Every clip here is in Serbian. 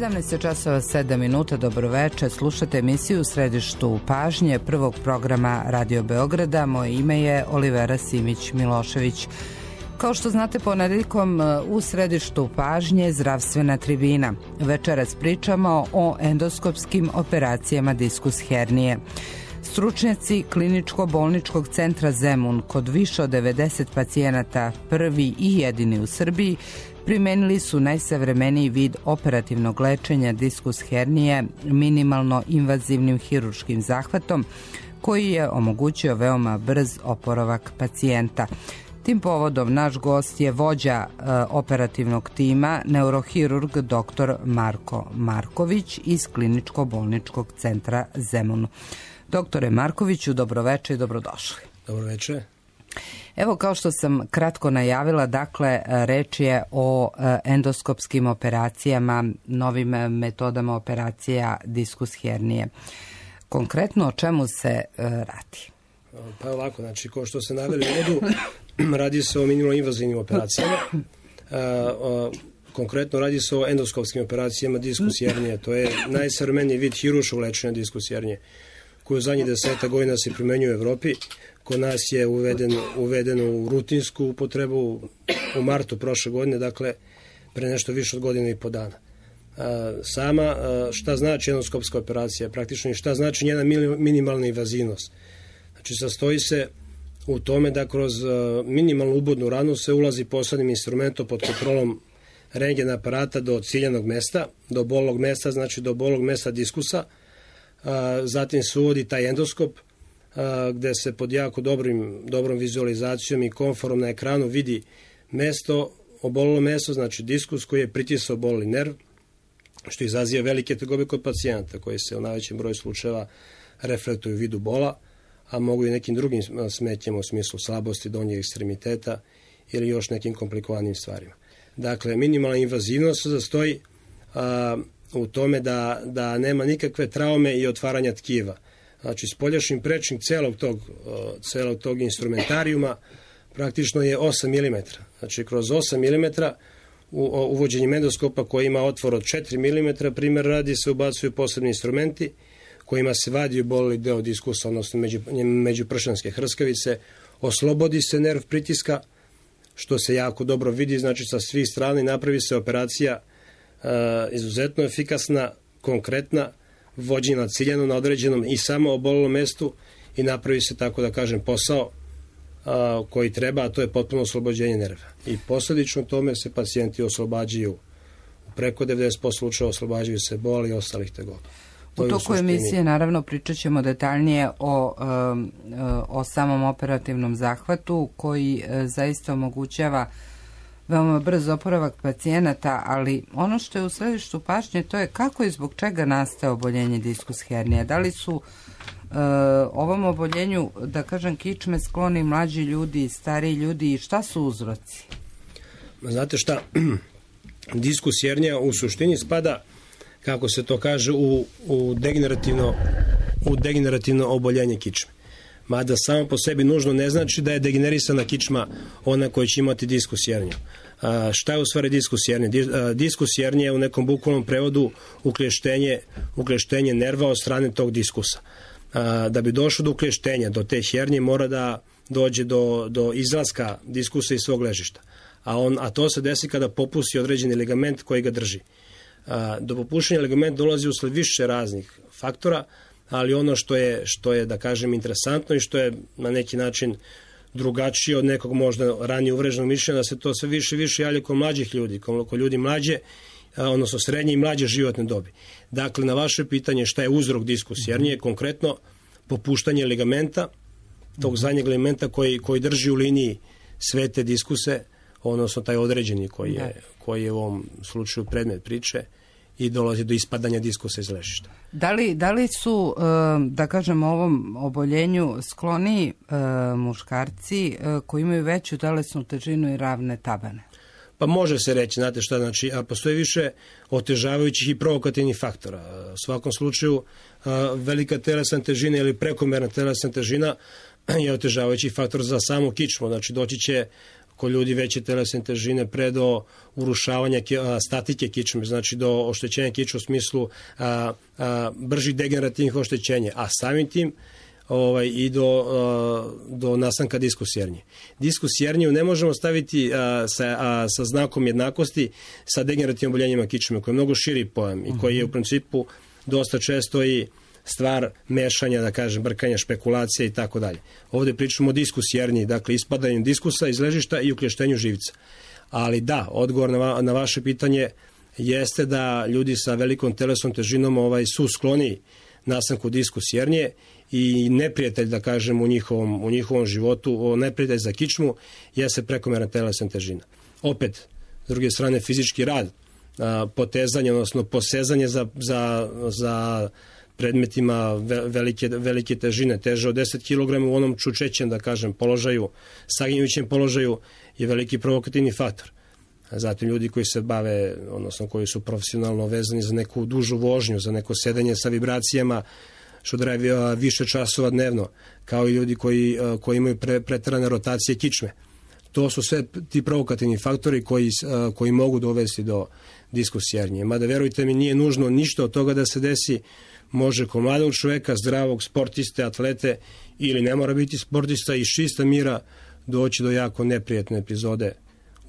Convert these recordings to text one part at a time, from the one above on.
17 časova 7 minuta, dobroveče, slušate emisiju u središtu pažnje prvog programa Radio Beograda. Moje ime je Olivera Simić-Milošević. Kao što znate, ponedeljkom u središtu pažnje zdravstvena tribina. Večeras pričamo o endoskopskim operacijama diskus hernije. Stručnjaci Kliničko-bolničkog centra Zemun kod više od 90 pacijenata, prvi i jedini u Srbiji, primenili su najsavremeniji vid operativnog lečenja diskus hernije minimalno invazivnim hirurškim zahvatom koji je omogućio veoma brz oporavak pacijenta. Tim povodom naš gost je vođa operativnog tima, neurohirurg dr. Marko Marković iz Kliničko-bolničkog centra Zemun. Doktore Markoviću, dobroveče i dobrodošli. Dobroveče. Evo, kao što sam kratko najavila, dakle, reč je o endoskopskim operacijama, novim metodama operacija diskus hernije. Konkretno o čemu se radi? Pa ovako, znači, kao što se naveli u uvodu, radi se o minimalno invazivnim operacijama. Konkretno radi se o endoskopskim operacijama diskus hernije. To je najsavremeniji vid hirurškog lečenja diskus hernije, koji u zadnjih 10 godina se primenjuje u Evropi. Kod nas je uveden u rutinsku upotrebu u martu prošle godine, dakle pre nešto više od godine i po dana. Sama šta znači endoskopska operacija, praktično i šta znači njena minimalna invazivnost. Znači, sastoji se u tome da kroz minimalnu ubodnu ranu se ulazi posebnim instrumentom pod kontrolom rentgen aparata do ciljanog mesta, do bolnog mesta, znači do bolnog mesta diskusa. Zatim se uvodi taj endoskop gde se pod jako dobrom vizualizacijom i konforom na ekranu vidi mesto, obolilo mesto, znači diskus koji je pritisao bolni nerv, što izaziva velike tegobe kod pacijenata koji se u najvećem broju slučajeva reflektuju u vidu bola, a mogu i nekim drugim smetnjama u smislu slabosti donjeg ekstremiteta ili još nekim komplikovanim stvarima. Dakle, minimalna invazivnost se zastoji u tome da nema nikakve traume i otvaranja tkiva. Znači, spoljašnji prečnik celog tog instrumentarijuma praktično je 8 mm. Znači, kroz 8 mm uvođenjem endoskopa koji ima otvor od 4 mm, primjer radi, se ubacuju posebni instrumenti kojima se vadi oboleli deo diskusa, odnosno međupršanske hrskavice, oslobodi se nerv pritiska, što se jako dobro vidi, znači sa svih strana, i napravi se operacija izuzetno efikasna, konkretna, vođena ciljano na određenom i samo obolelom mestu i napravi se, tako da kažem, posao koji treba, a to je potpuno oslobođenje nerva. I posljedično tome se pacijenti oslobađaju, preko 90% slučajeva oslobađaju se boli i ostalih tegoba. U toku emisije, naravno, pričat ćemo detaljnije o samom operativnom zahvatu koji zaista omogućava veoma brz oporavak pacijenata, ali ono što je u središtu pažnje, to je kako i zbog čega nastaje oboljenje diskus hernije. Da li su ovom oboljenju, da kažem, kičme skloni mlađi ljudi, stariji ljudi, i šta su uzroci? Znate šta, diskus hernija u suštini spada, kako se to kaže, u degenerativno oboljenje kičme. Mada samo po sebi nužno ne znači da je degenerisana kičma ona koja će imati diskus herniju. Šta je u stvari diskus hernija? Diskus hernija je u nekom bukvalnom prevodu ukleštenje nerva od strane tog diskusa. Da bi došlo do ukleštenja, do te hernije, mora da dođe do izlaska diskusa iz svog ležišta. A to se desi kada popusti određeni ligament koji ga drži. Do popuštenja ligamenta dolazi usled više raznih faktora, ali ono što je, da kažem, interesantno i što je na neki način drugačije od nekog možda ranije uvreženog mišljenja, da se to sve više javlja kod mlađih ljudi, kod ljudi mlađe, odnosno srednje i mlađe životne dobi. Dakle, na vaše pitanje šta je uzrok diskus hernije, konkretno popuštanje ligamenta, tog zadnjeg ligamenta koji drži u liniji sve te diskuse, odnosno taj određeni koji je u ovom slučaju predmet priče, i dolazi do ispadanja diskusa iz ležišta. Da li su, da kažem, ovom oboljenju skloni muškarci koji imaju veću telesnu težinu i ravne tabane? Pa može se reći, znate šta, znači, a postoje više otežavajućih i provokativnih faktora. U svakom slučaju, velika telesna težina ili prekomerna telesna težina je otežavajući faktor za samu kičmu. Znači, doći će kod ljudi veće telesne težine pre do urušavanja statike kičme, znači do oštećenja kičme u smislu bržih degenerativnih oštećenja, a samim tim i do nastanka diskusjernje. Diskusjernju ne možemo staviti sa znakom jednakosti sa degenerativnim oboljenjima kičme, koji je mnogo širi pojam i koji je u principu dosta često i stvar mešanja, da kažem, brkanja, špekulacija i tako dalje. Ovde pričamo o diskusjernji, dakle ispadanju diskusa iz ležišta i ukleštenju živca. Ali da, odgovor na vaše pitanje jeste da ljudi sa velikom telesnom težinom su skloni nastanku diskusjernje i neprijatelj, da kažem, u njihovom životu, neprijatelj za kičmu jeste prekomerna telesna težina. Opet, s druge strane, fizički rad, potezanje, odnosno posezanje za predmetima velike težine, teže od 10 kg u onom čučećem, da kažem, položaju, saginjućem položaju je veliki provokativni faktor. Zatim ljudi koji se bave, odnosno koji su profesionalno vezani za neku dužu vožnju, za neko sedanje sa vibracijama, što traje više časova dnevno, kao i ljudi koji imaju preterane rotacije kičme. To su sve ti provokativni faktori koji mogu dovesti do diskusjernje. Mada, verujte mi, nije nužno ništa od toga da se desi. Može kod mladog čoveka, zdravog, sportiste, atlete, ili ne mora biti sportista, iz čista mira doći do jako neprijatne epizode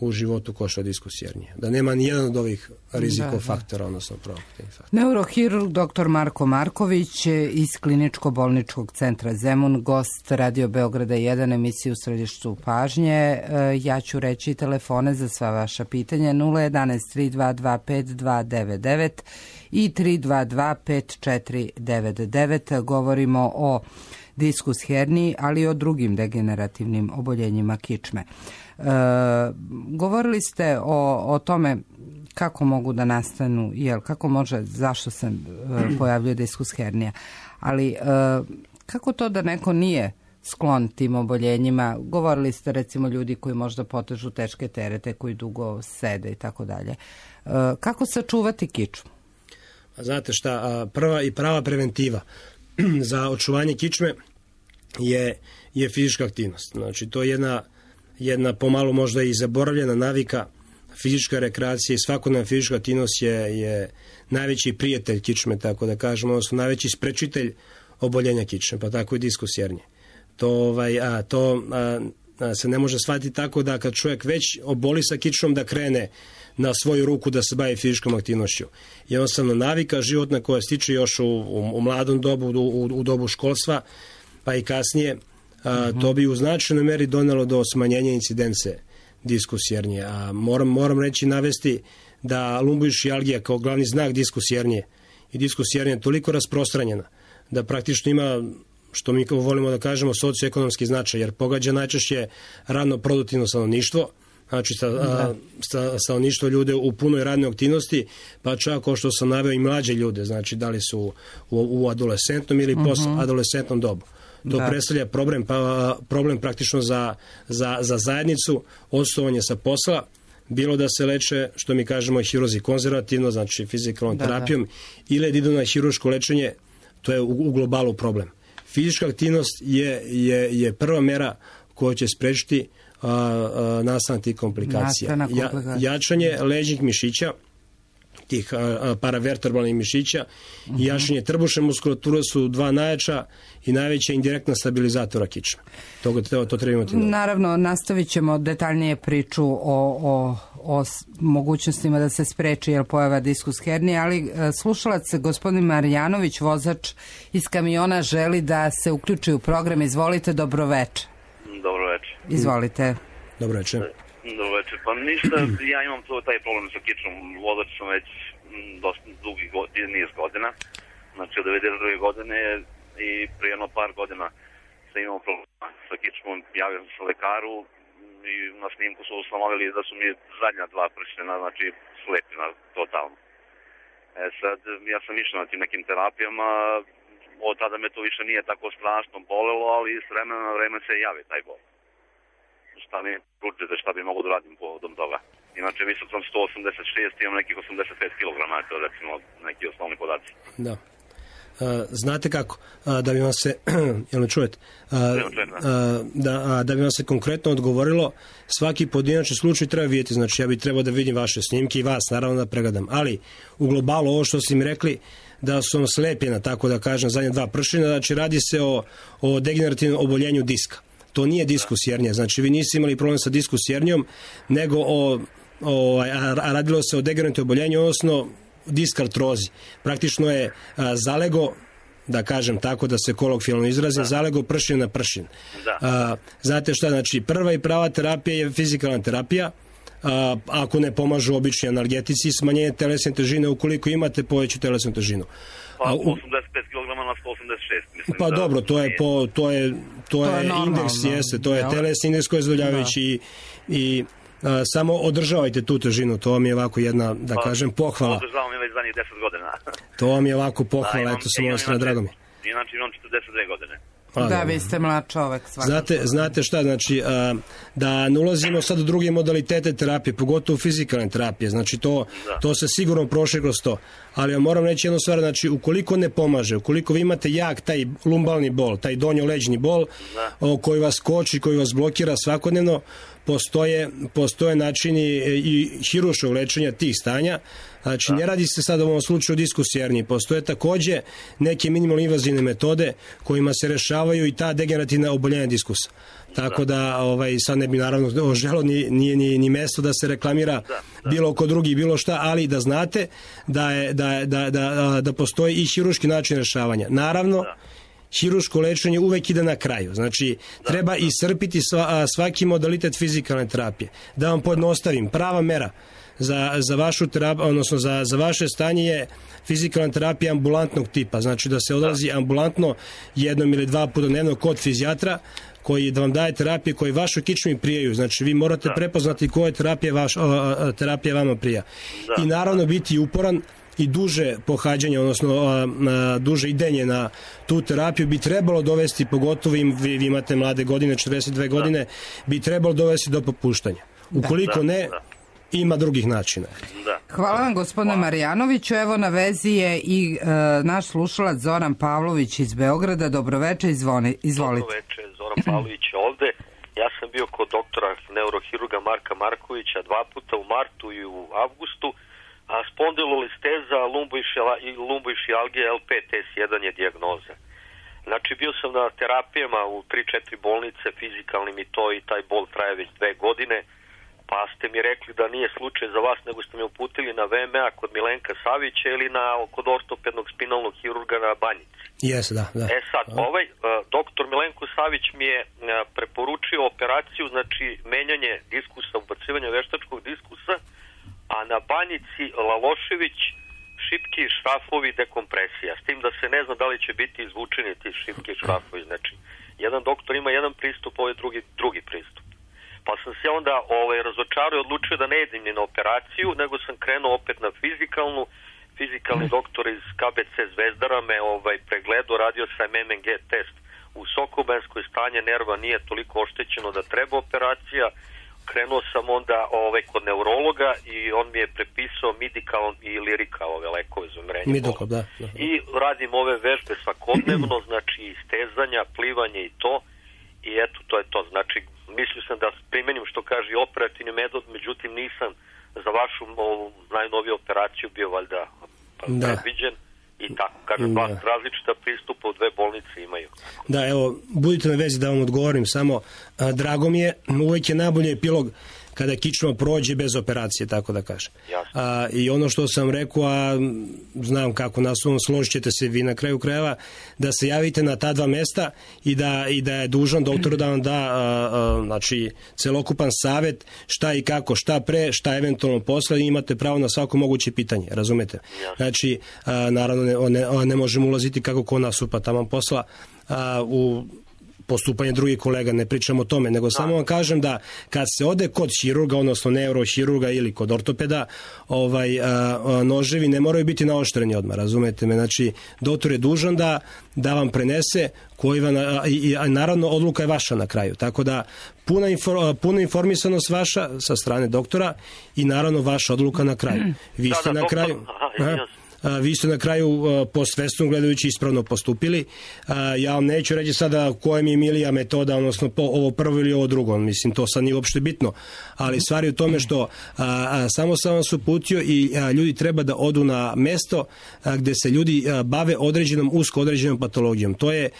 u životu ko što je diskusjernje. Da nema ni jedan od ovih rizikofaktora, odnosno provokativnih faktora. Neurohirurg dr. Marko Marković iz Kliničko-bolničkog centra Zemun, gost Radio Beograda 1, emisiju u središtu pažnje. Ja ću reći telefone za sva vaša pitanja 011 322 5299 i 322 5499. Govorimo o diskus herniji, ali i o drugim degenerativnim oboljenjima kičme. Govorili ste o tome kako mogu da nastanu, kako može, zašto se pojavljuje diskus hernija, ali kako to da neko nije sklon tim oboljenjima? Govorili ste recimo ljudi koji možda potežu teške terete, koji dugo sede i tako dalje. Kako sačuvati kičmu? Znate šta, prava preventiva za očuvanje kičme je fizička aktivnost. Znači, to je jedna pomalo možda i zaboravljena navika, fizička rekreacija i svakodnevna fizička aktivnost je najveći prijatelj kičme, tako da kažemo, odnosno najveći sprečitelj oboljenja kičme, pa tako i diskusjernje. To se ne može shvatiti tako da kad čovjek već oboli sa kičmom da krene na svoju ruku da se bavi fizičkom aktivnošću. Jednostavno navika životna koja stiče još u mladom dobu, u dobu školstva, pa i kasnije, to bi u značajnoj meri donelo do smanjenja incidence diskusjernje. A moram reći, navesti da lumboišijalgija kao glavni znak diskusjernje i diskusjernje je toliko rasprostranjena da praktično ima, što mi volimo da kažemo, socioekonomski značaj, jer pogađa najčešće radno produktivno stanovništvo, znači stanovništvo ljude u punoj radnoj aktivnosti, pa čak kao što sam naveo i mlađe ljude, znači da li su u adolescentnom ili post-adolescentnom dobu. To predstavlja problem praktično za zajednicu, odstovanje sa posla, bilo da se leče, što mi kažemo, hiruzi konzervativno, znači fizikalnom terapijom, ili da idu na hiruško lečenje, to je u globalu problem. Fizička aktivnost je prva mera koja će sprečiti nastanak tih komplikacija. Jačanje leđnih mišića, tih paravertebralnih mišića i jačanje trbušne muskulature su dva najjača i najveća indirektna stabilizatora kičme. To treba imati. Naravno, nastavit ćemo detaljnije priču o mogućnostima da se spreči pojava diskus hernije, ali slušalac gospodin Marjanović, vozač iz kamiona, želi da se uključi u program. Izvolite, dobroveče. Dobroveče. Izvolite. Dobroveče. Dobroveče. Pa ništa, ja imam taj problem sa kičmom. Vozač sam već dosta dugi niz godina. Znači od 92. godine i prije jedno par godina sam imao problema sa kičmom. Javio sam se lekaru i na snimku su ustanovili da su mi zadnja dva pršena, znači slepina totalno. Sad, ja sam išao na tim nekim terapijama, od tada me to više nije tako strašno bolelo, ali s vremena na vreme se javi taj bol. Šta mi pručite, šta bi mogu da radim povodom toga. Inače, mislim sam 186, imam nekih 85 kg, to je recimo neki osnovni podaci. Da. znate kako, da bi vam se, jel me čujete, da bi vam se konkretno odgovorilo, svaki pojedinačni slučaj treba vidjeti, znači ja bih trebao da vidim vaše snimke i vas naravno da pregledam, ali u globalu ovo što ste mi rekli, da su vam slepljena, tako da kažem, zadnje 2 pršina, znači radi se o degenerativnom oboljenju diska. To nije diskus hernija, znači vi niste imali problem sa diskus hernijom, nego radilo se o degenerativnom oboljenju, odnosno disk artrozi. Praktično je zalego, da kažem tako, da se kolokvijalno izrazim, zalego pršin na pršin. Znate šta, znači prva i prava terapija je fizikalna terapija, ako ne pomažu obični analgetici, smanjenje telesne težine, ukoliko imate poveću telesnu težinu. Pa 85 kg na 186, mislim. Pa dobro, to je indeks, jeste, to je telesni indeks koji je zadovoljavajući i samo održavajte tu težinu, to vam je ovako jedna, da kažem, pohvala. Održavam je već zadnjih 10 godina. To vam je ovako pohvala, eto sam ovo strana, drago mi. Inače imam 42 godine. Da, vi ste mlad čovek. Znate šta, znači, da ne ulazimo sad u druge modalitete terapije, pogotovo fizikalne terapije, znači to se sigurno prošle kroz to, ali ja moram reći jednu stvar, znači, ukoliko ne pomaže, ukoliko vi imate jak taj lumbalni bol, taj donjo-leđni bol, koji vas koči, koji vas blokira svakodnevno, postoje načini i hirurškog lečenja tih stanja. Znači, ne radi se sad u ovom slučaju o diskus herniji. Postoje takođe neke minimalno invazivne metode kojima se rešavaju i ta degenerativna oboljenja diskusa. Tako da sad ne bi naravno želeo ni mesto da se reklamira bilo ko drugi, bilo šta, ali da znate da postoji i hirurški način rešavanja. Naravno, hirurško lečenje uvek ide na kraju. Znači, treba iscrpiti svaki modalitet fizikalne terapije. Da vam pojednostavim, prava mera za vašu terapiju, odnosno za vaše stanje je fizikalna terapija ambulantnog tipa. Znači, da se odlazi ambulantno 1 ili 2 puta dnevno kod fizijatra koji da vam daje terapije koje vašoj kičmi prijaju. Znači, vi morate prepoznati koja terapija vama prija. I naravno biti uporan i duže pohađanje, odnosno duže idenje na tu terapiju bi trebalo dovesti, pogotovo vi imate mlade godine, 42 godine, bi trebalo dovesti do popuštanja. Ukoliko ne, ima drugih načina. Hvala vam, gospodine Marjanoviću. Evo, na vezi je i naš slušalac Zoran Pavlović iz Beograda. Dobroveče, izvolite. Dobroveče, Zoran Pavlović ovde. Ja sam bio kod doktora neurohirurga Marka Markovića 2 puta u martu i u avgustu, a spondilolisteza i lumboišijalgija LPTS1 je dijagnoza. Znači, bio sam na terapijama u 3-4 bolnice, fizikalnim i to, i taj bol traje već 2 godine, pa ste mi rekli da nije slučaj za vas, nego ste me uputili na VMA kod Milenka Savića ili kod ortopednog spinalnog hirurga na Banjici. Da. Sad, doktor Milenko Savić mi je preporučio operaciju, znači menjanje diskusa, ubacivanje veštačkog diskusa, a na Banjici Lalošević šipki, šrafovi, dekompresija. S tim da se ne zna da li će biti izvučeni ti šipki, šrafovi. Znači, jedan doktor ima jedan pristup, ovaj drugi pristup. Pa sam se onda razočarao i odlučio da ne idem ni na operaciju, nego sam krenuo opet na fizikalnu. Fizikalni doktor iz KBC Zvezdara me pregledao, radio sam MMG test u Sokobanskoj, stanje nerva nije toliko oštećeno da treba operacija. Krenuo sam onda kod neurologa i on mi je prepisao Midikal i Lirika, ove lekove za umirenje bola. I radim ove vežbe svakodnevno, znači istezanja, plivanje i to. I eto, to je to. Znači, mislio sam da primenim što kaže operativni metod, međutim nisam za vašu najnoviju operaciju bio valjda predviđen. I tako, kažem, različita pristupa u 2 bolnice imaju. Da, evo, budite na vezi da vam odgovorim, samo drago mi je, uvek je najbolji epilog kada kičma prođe bez operacije, tako da kažem. I ono što sam rekao, a znam kako naslovno, složit ćete se vi na kraju krajeva, da se javite na ta 2 mesta i da je dužan doktor da vam da znači, celokupan savet šta i kako, šta pre, šta eventualno posle, i imate pravo na svako moguće pitanje, razumete? Znači, naravno ne možemo ulaziti kako ko nastupa tamo posla u postupanje drugih kolega, ne pričam o tome, nego samo vam kažem da kad se ode kod hirurga, odnosno neurohirurga ili kod ortopeda, noževi ne moraju biti naoštreni odmah, razumete me? Znači, doktor je dužan da vam prenese i naravno odluka je vaša na kraju, tako da puna informisanost vaša sa strane doktora i naravno vaša odluka na kraju. Vi ste na kraju... vi ste na kraju postvesno gledajući ispravno postupili. Ja vam neću reći sada koja mi je milija metoda, odnosno ovo prvo ili ovo drugo, mislim to sad nije uopšte bitno, ali stvar je u tome što samo sam vas uputio i ljudi treba da odu na mesto gde se ljudi bave usko određenom patologijom. To je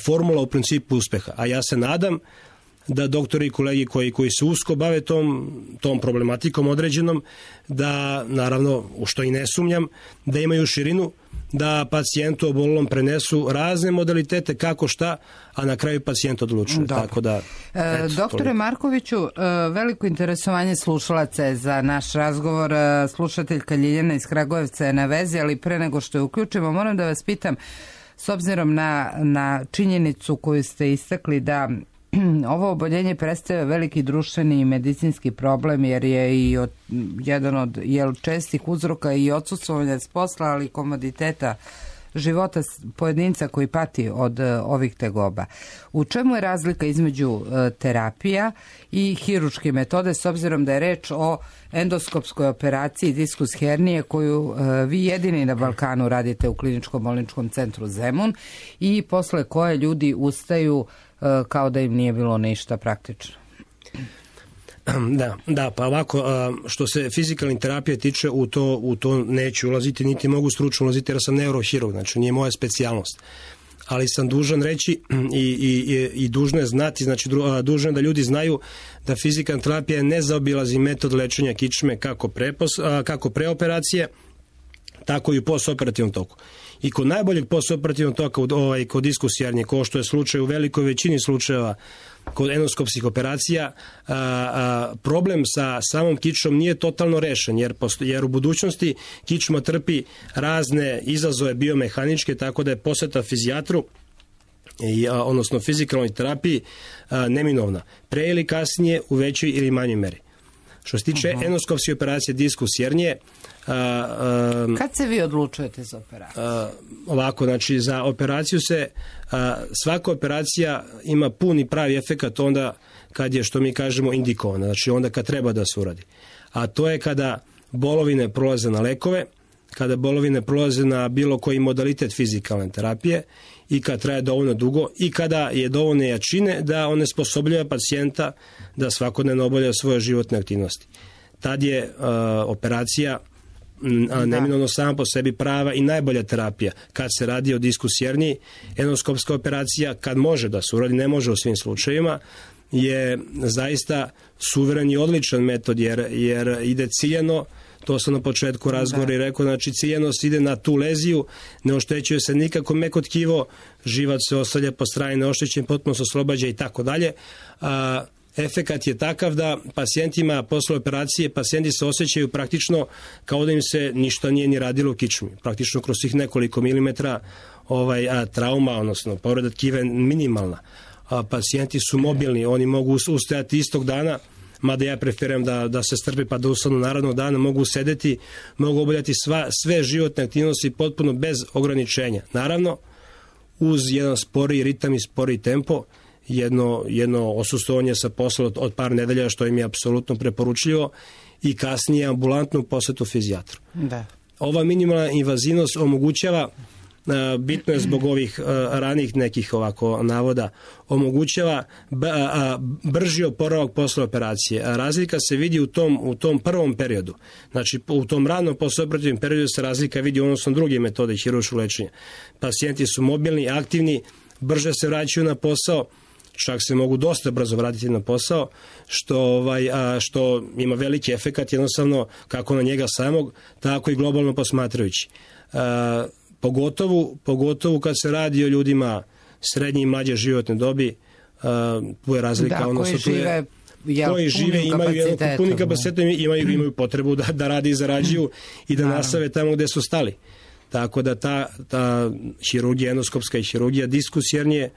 formula u principu uspeha, a ja se nadam da doktori i kolegi koji se usko bave tom problematikom određenom, da naravno, u što i ne sumnjam, da imaju širinu, da pacijentu obolelom prenesu razne modalitete kako šta, a na kraju pacijent odlučuje. Tako da, doktore Markoviću, veliko interesovanje slušalaca je za naš razgovor. Slušateljka Ljiljana iz Kragujevca je na vezi, ali pre nego što je uključimo, moram da vas pitam, s obzirom na činjenicu koju ste istakli da ovo oboljenje predstavlja veliki društveni i medicinski problem, jer je i jedan od čestih uzroka i odsustvovanja s posla, ali i komoditeta života pojedinca koji pati od ovih tegoba. U čemu je razlika između terapija i hirurške metode, s obzirom da je reč o endoskopskoj operaciji diskus hernije koju vi jedini na Balkanu radite u Kliničko-bolničkom centru Zemun i posle koje ljudi ustaju kao da im nije bilo ništa praktično? Da, pa ovako, što se fizikalne terapije tiče, u to neću ulaziti, niti mogu stručno ulaziti jer sam neurohirurg, znači nije moja specijalnost. Ali sam dužan reći i dužno je znati, znači dužno je da ljudi znaju da fizikalna terapija ne zaobilazi metod lečenja kičme kako pre operacije, tako i u postoperativnom toku. I kod najboljeg postoperativnog toka, kod diskus hernije, kao što je slučaj u velikoj većini slučajeva kod endoskopskih operacija, problem sa samom kičmom nije totalno rešen, jer u budućnosti kičma trpi razne izazove biomehaničke, tako da je poseta fizijatru, odnosno fizikalnoj terapiji, neminovna. Pre ili kasnije, u većoj ili manjoj meri. Što se tiče endoskopske operacije diskus hernije, kad se vi odlučujete za operaciju? Ovako, znači za operaciju svaka operacija ima puni pravi efekat onda kad je, što mi kažemo, indikovana, znači onda kad treba da se uradi. A to je kada bolovine prolaze na lekove, kada bolovine prolaze na bilo koji modalitet fizikalne terapije i kad traje dovoljno dugo i kada je dovoljno jačine da one sposobljava pacijenta da svakodnevno obavlja svoje životne aktivnosti. Tad je operacija neminovno sama po sebi prava i najbolja terapija. Kad se radi o diskus herniji, endoskopska operacija, kad može da se uradi, ne može u svim slučajevima, je zaista suveren i odličan metod, jer ide ciljano. To sam na početku razgovora i rekao, znači ciljanost ide na tu leziju, ne oštećuje se nikako meko tkivo, živac se ostavlja po strani neoštećen, potpuno se oslobađa i tako dalje. Efekat je takav da pacijentima posle operacije, pacijenti se osjećaju praktično kao da im se ništa nije ni radilo u kičmi. Praktično kroz svih nekoliko milimetra trauma, odnosno povreda tkiva je minimalna. Pacijenti su mobilni, oni mogu ustajati istog dana, mada ja preferiram da se strpe pa da ustanu narednog dana, mogu sedeti, mogu obavljati sve životne aktivnosti potpuno bez ograničenja. Naravno, uz jedan sporiji ritam i sporiji tempo, jedno osustovanje sa posla od par nedelja, što im je apsolutno preporučljivo, i kasnije ambulantnu posetu fizijatru. Ova minimalna invazivnost omogućava, bitno je zbog ovih ranih nekih ovako navoda, omogućava brži oporavak posle operacije. Razlika se vidi u tom prvom periodu. Znači, u tom ranom postoperativnom periodu se razlika vidi odnosno druge metode hirurškog lečenja. Pacijenti su mobilni, aktivni, brže se vraćaju na posao, čak se mogu dosta brzo vratiti na posao, što ima veliki efekat jednostavno kako na njega samog, tako i globalno posmatrajući. Pogotovo kad se radi o ljudima srednje i mlađe životne dobi, tu je razlika. Koji žive imaju puni kapacitet, imaju potrebu da radi i zarađuju i da nastave tamo gde su stali. Tako da ta hirurgija, endoskopska i hirurgija diskus hernije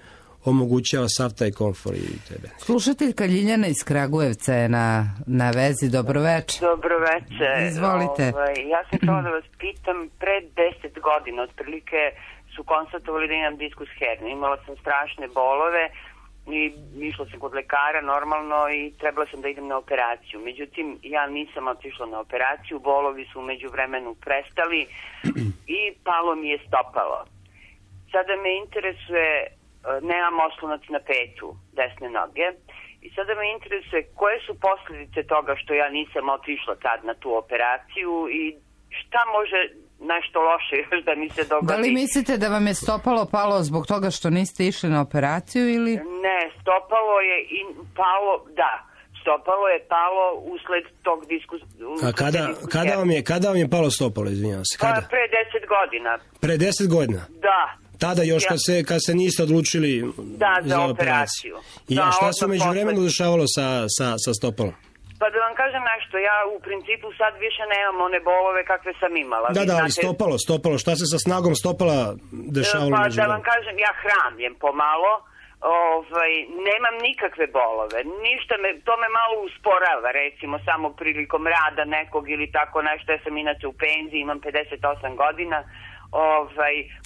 omogućava sav taj komfor i tebe. Slušateljka Ljiljana iz Kragujevca je na vezi. Dobroveče. Dobroveče. Izvolite. Ja sam htjela da vas pitam, pred 10 godina otprilike su konstatovali da imam diskus hernije. Imala sam strašne bolove i išla sam kod lekara normalno i trebala sam da idem na operaciju. Međutim, ja nisam otišla na operaciju, bolovi su umeđu vremenu prestali i palo mi je stopalo. Sada me interesuje, nemam oslonac na petu desne noge, i sada me interesuje koje su posljedice toga što ja nisam otišla tad na tu operaciju i šta može nešto loše još da mi se dogodi. Da li mislite da vam je stopalo palo zbog toga što niste išli na operaciju ili? Ne, stopalo je i palo, da. Stopalo je palo usled tog A kada vam je palo stopalo, izvinjavam se? Kada? Pre 10 godina. Pre 10 godina? Da. Tada još kad se niste odlučili za operaciju. I šta se među vremenu dešavalo sa stopalom? Pa da vam kažem nešto, ja u principu sad više nemam one bolove kakve sam imala. Da, ali stopalo, šta se sa snagom stopala dešavalo među vremenu? Pa da vam kažem, ja hramljem pomalo, nemam nikakve bolove, ništa to me malo usporava, recimo samo prilikom rada nekog ili tako nešto, ja sam inače u penziji, imam 58 godina.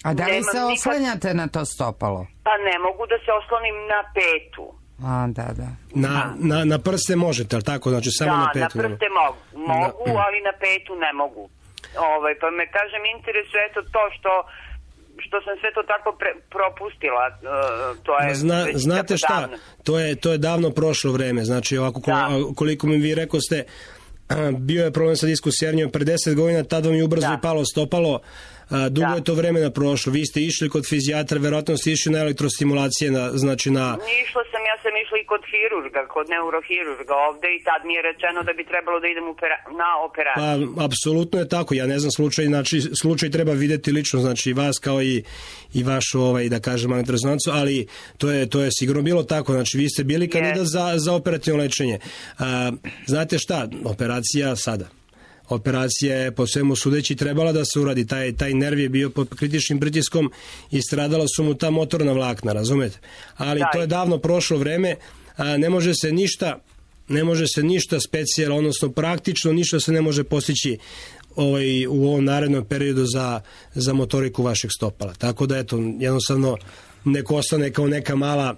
A da li se oslanjate na to stopalo? Pa ne mogu da se oslonim na petu. Da. Na prste možete, ali tako? Znači samo na petu? Da, na prste mogu, ali na petu ne mogu. Pa me, kažem, interesuje eto to što sam sve to tako propustila. To je znate šta? Davno. To je davno prošlo vreme. Znači, ovako, koliko mi vi rekoste, bio je problem sa diskusijernjom pre 10 godina, tad vam je ubrzo i palo stopalo. Dugo je to vremena prošlo. Vi ste išli kod fizijatra, verovatno ste išli na elektrostimulacije, ja sam išla i kod hirurga, kod neurohirurga ovde i tad mi je rečeno da bi trebalo da idem na operaciju. Pa, apsolutno je tako. Ja ne znam slučaj, znači slučaj treba videti lično, znači vas kao i vašu, da kažem, magnetnu rezonancu, ali to je sigurno bilo tako. Znači vi ste bili kandidat za operativno lečenje. Znate šta? Operacija sada. Operacija je po svemu sudeći trebala da se uradi. Taj nerv je bio pod kritičnim pritiskom i stradala su mu ta motorna vlakna, razumete? Ali to je davno prošlo vreme. Ne može se ništa specijalno, odnosno praktično ništa se ne može postići u ovom narednom periodu za motoriku vašeg stopala. Tako da eto, jednostavno neko ostane kao neka mala,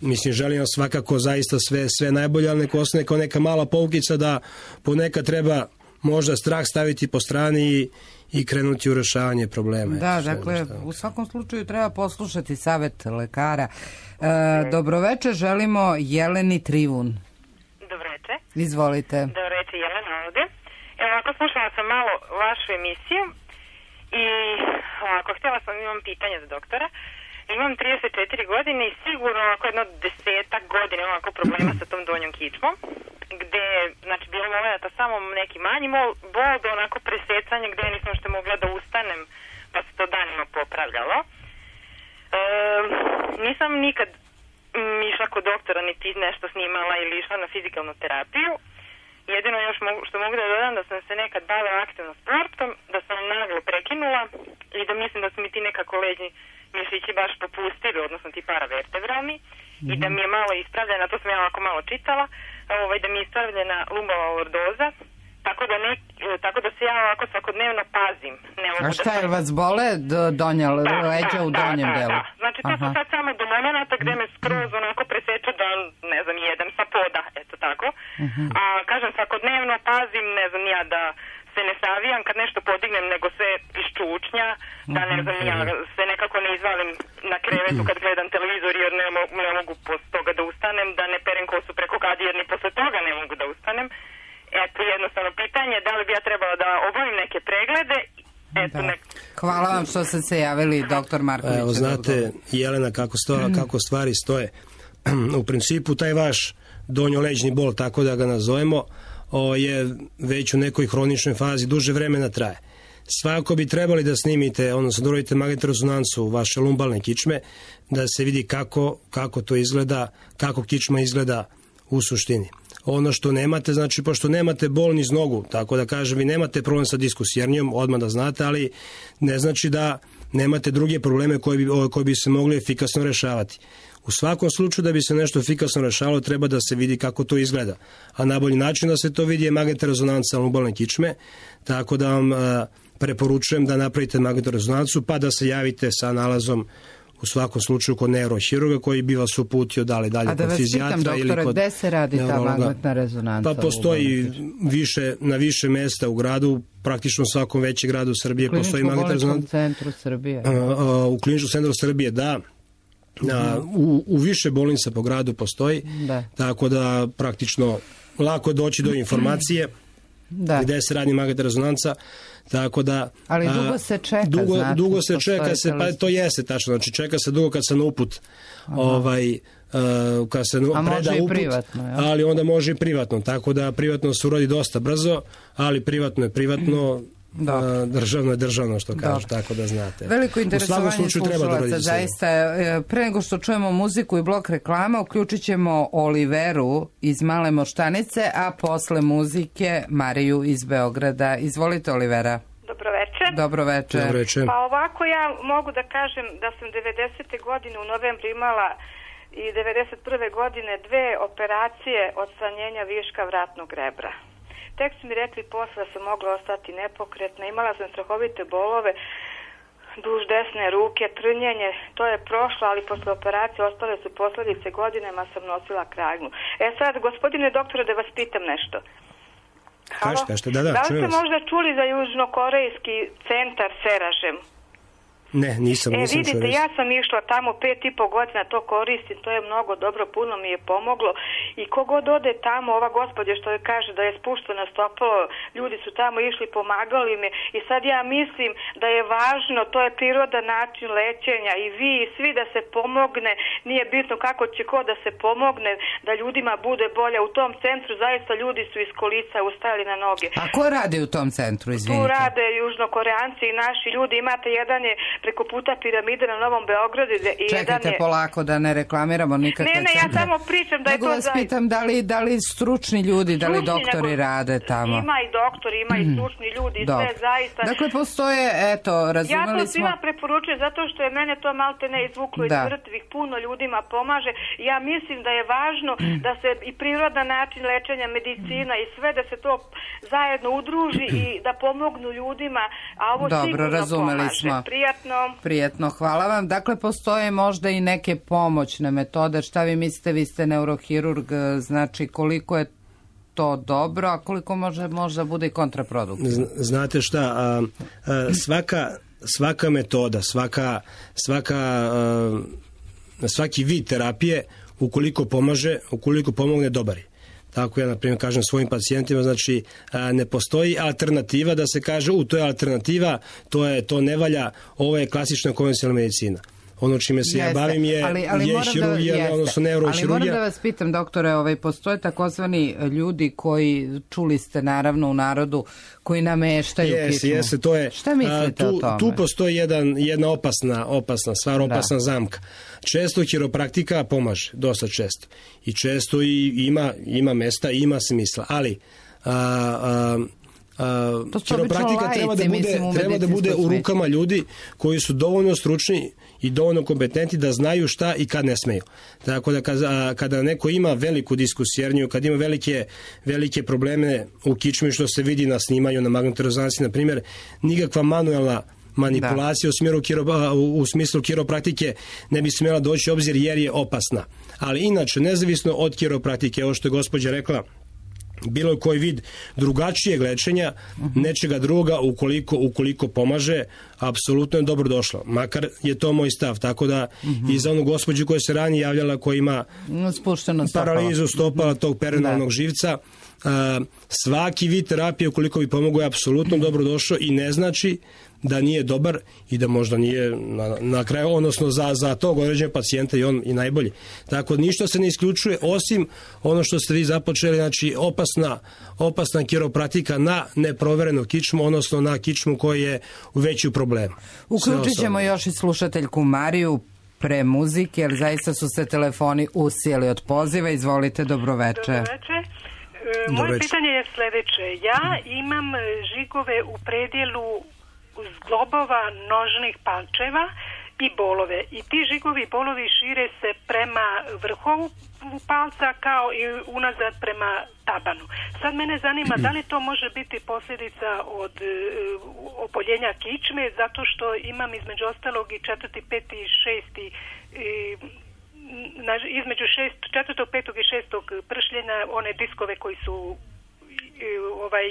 mislim, želim vam svakako zaista sve najbolje, ali neko ostane kao neka mala poukica da ponekad treba možda strah staviti po strani i krenuti u rešavanje problema. Da, dakle, u svakom slučaju treba poslušati savjet lekara. Dobroveče, želimo Jeleni Trivun. Dobroveče. Izvolite. Dobroveče, Jelena ovde. Evo, ako slušala sam malo vašu emisiju i ako htjela sam, imam pitanje za doktora. Imam 34 godine i sigurno ako jedno 10 godina imam ovako problema sa tom donjom kičmom, gde, znači, bilo momenta samo neki manji bol do onako presecanja gde nisam što mogla da ustanem, pa se to danima popravljalo. Nisam nikad išla kod doktora, niti nešto snimala ili išla na fizikalnu terapiju. Jedino još što mogu da dodam da sam se nekad bavila aktivno sportom, da sam naglo prekinula i da mislim da su mi ti nekako leđni mišići baš popustili, odnosno ti paravertebralni, i da mi je malo ispravljena, to sam ja ovako malo čitala, da mi je ispravljena lumbalna lordoza, tako da se ja ovako svakodnevno pazim. A šta je, vas bole donja leđa u donjem delu? Da. Znači to su sad samo do momenta gde me skroz onako preseče da, ne znam, jedem sa poda, eto tako. A kažem, svakodnevno pazim, ne znam ja, da se ne savijam kad nešto podignem, nego se iščučnja, da ne znam ja se nekako ne izvalim na krevetu kad gledam televizor jer ne mogu posle toga da ustanem, da ne perem kosu preko kadi jer ni posle toga ne mogu da ustanem. Eto, jednostavno pitanje, da li bi ja trebala da obavim neke preglede. Hvala vam što ste se javili, doktor Marković. Evo, znate, Jelena, kako stvari stoje. U principu, taj vaš donjoleđni bol, tako da ga nazovemo, je već u nekoj hroničnoj fazi, duže vremena traje. Svakako bi trebali da snimite, odnosno da uradite magnetnu rezonancu vaše lumbalne kičme, da se vidi kako to izgleda, kako kičma izgleda u suštini. Ono što nemate, znači, pošto nemate bol niz nogu, tako da kažem, vi nemate problem sa diskusijernijom, odmah da znate, ali ne znači da nemate druge probleme koji bi se mogli efikasno rešavati. U svakom slučaju da bi se nešto efikasno rešavalo, treba da se vidi kako to izgleda. A najbolji način da se to vidi je magnetna rezonanca lumbalne kičme, tako da vam preporučujem da napravite magnetnu rezonancu, pa da se javite sa nalazom u svakom slučaju kod neurohirurga koji bi vas uputio dalje kod fizijatra. A da vas pitam, doktore, gde se radi ta magnetna rezonanca? Pa postoji na više mesta u gradu, praktično u svakom većem gradu Srbije postoji magnetna rezonanca. U Kliničkom bolničkom centru Srbije? U Kliničkom centru Srbije, da. U više bolnica po gradu postoji, tako da praktično lako je doći do informacije gde se radi magnetna rezonanca, tako da... Ali dugo se čeka, dugo se čeka, pa to jeste tačno, znači čeka se dugo kad se na uput kad se preda uput, privatno, ali onda može i privatno, tako da privatno se uradi dosta brzo, ali privatno je privatno, državno je državno, što kažu, tako da znate. Veliko interesovanje slušalaca, zaista. Pre nego što čujemo muziku i blok reklama, uključit ćemo Oliveru iz Male Moštanice, a posle muzike Mariju iz Beograda. Izvolite, Olivera. Dobro večer. Pa ovako, ja mogu da kažem da sam 90. godine u novembru imala i 91. godine 2 operacije odstranjenja viška vratnog rebra. Tek su mi rekli posle da sam mogla ostati nepokretna, imala sam strahovite bolove duž desne ruke, trnjenje, to je prošlo, ali posle operacije ostale su posledice, godinama sam nosila kragnu. Sad, gospodine doktore, da vas pitam nešto. Kažete, da li ste možda čuli za južnokorejski centar Seražem? Ne, nisam vidite, ja sam išla tamo 5,5 godina, to koristim, to je mnogo dobro, puno mi je pomoglo i kogod ode tamo, ova gospođa što je kaže da je spušteno stopalo, ljudi su tamo išli, pomagali me i sad ja mislim da je važno, to je prirodan način lečenja i vi i svi da se pomogne, nije bitno kako će ko da se pomogne, da ljudima bude bolje. U tom centru zaista ljudi su iz kolica ustajali na noge. A ko radi u tom centru, izvinite? Tu rade južnokoreanci i naši ljudi, imate jedan je preko puta piramide na Novom Beogradu. Čekajte polako da ne reklamiramo nikakve centre. Ne, ja samo pričam da je to zaista. Nego vas pitam da li stručni ljudi, da li doktori rade tamo? Ima i doktori, ima i stručni ljudi, sve zaista. Dakle, postoje, eto, razumeli smo... Ja to svima preporučujem zato što je mene to malte ne izvuklo iz mrtvih, puno ljudima pomaže. Ja mislim da je važno da se i prirodan način lečenja, medicina i sve, da se to zajedno udruži i da pomognu ljudima, a ovo sigurno pomaže. Prijatno, hvala vam. Dakle, postoje možda i neke pomoćne metode. Šta vi mislite, vi ste neurohirurg, znači koliko je to dobro, a koliko može bude i kontraproduktivno? Znate šta, svaka metoda, svaki vid terapije, ukoliko pomogne, dobar je. Tako ja, na primjer, kažem svojim pacijentima, znači ne postoji alternativa da se kaže, to je alternativa, to ne valja, ovo je klasična konvencionalna medicina. Ono čime se ja bavim je hirurgija, odnosno neurohirurgija. Ali moram da vas pitam, doktore, postoje takozvani ljudi koji, čuli ste naravno u narodu, koji nameštaju kičmu. Jeste, to je. Šta mislite o tome? Tu postoji jedna opasna stvar, opasna zamka. Često hiropraktika pomaže, dosta često. I često ima mesta, ima smisla, ali hiropraktika treba da bude u rukama ljudi koji su dovoljno stručni i dovoljno kompetentni da znaju šta i kad ne smeju. Tako da kada neko ima veliku diskusijerniju, kad ima velike probleme u kičmi, što se vidi na snimanju na magnetnoj rezonanci, na primjer, nikakva manuelna manipulacija u smislu hiropraktike ne bi smjela doći u obzir jer je opasna. Ali inače, nezavisno od hiropraktike, ovo što je gospođa rekla, bilo koji vid drugačijeg lečenja, nečega druga, ukoliko pomaže, apsolutno je dobro došlo. Makar je to moj stav. Tako da i za onu gospođu koja se ranije javljala, koja ima paralizu stopala tog perenalnog živca, svaki vid terapije, ukoliko bi pomogao, je apsolutno dobro došao i ne znači da nije dobar i da možda nije na kraju, odnosno za tog određenog pacijenta i on i najbolji. Tako ništa se ne isključuje, osim ono što ste vi započeli, znači opasna hiropraktika na neproverenu kičmu, odnosno na kičmu koji je u veću problemu. Uključit ćemo još i slušateljku Mariju pre muzike, jer zaista su se telefoni usijeli od poziva. Izvolite, dobroveče. Moje pitanje je sljedeće. Ja imam žigove u predjelu zglobova nožnih palčeva i bolove. I ti žigovi i bolovi šire se prema vrhovu palca kao i unazad prema tabanu. Sad mene zanima da li to može biti posljedica od oboljenja kičme, zato što imam između ostalog i 4., 5. i 6. između 4., 5. i 6. pršljenja one diskove koji su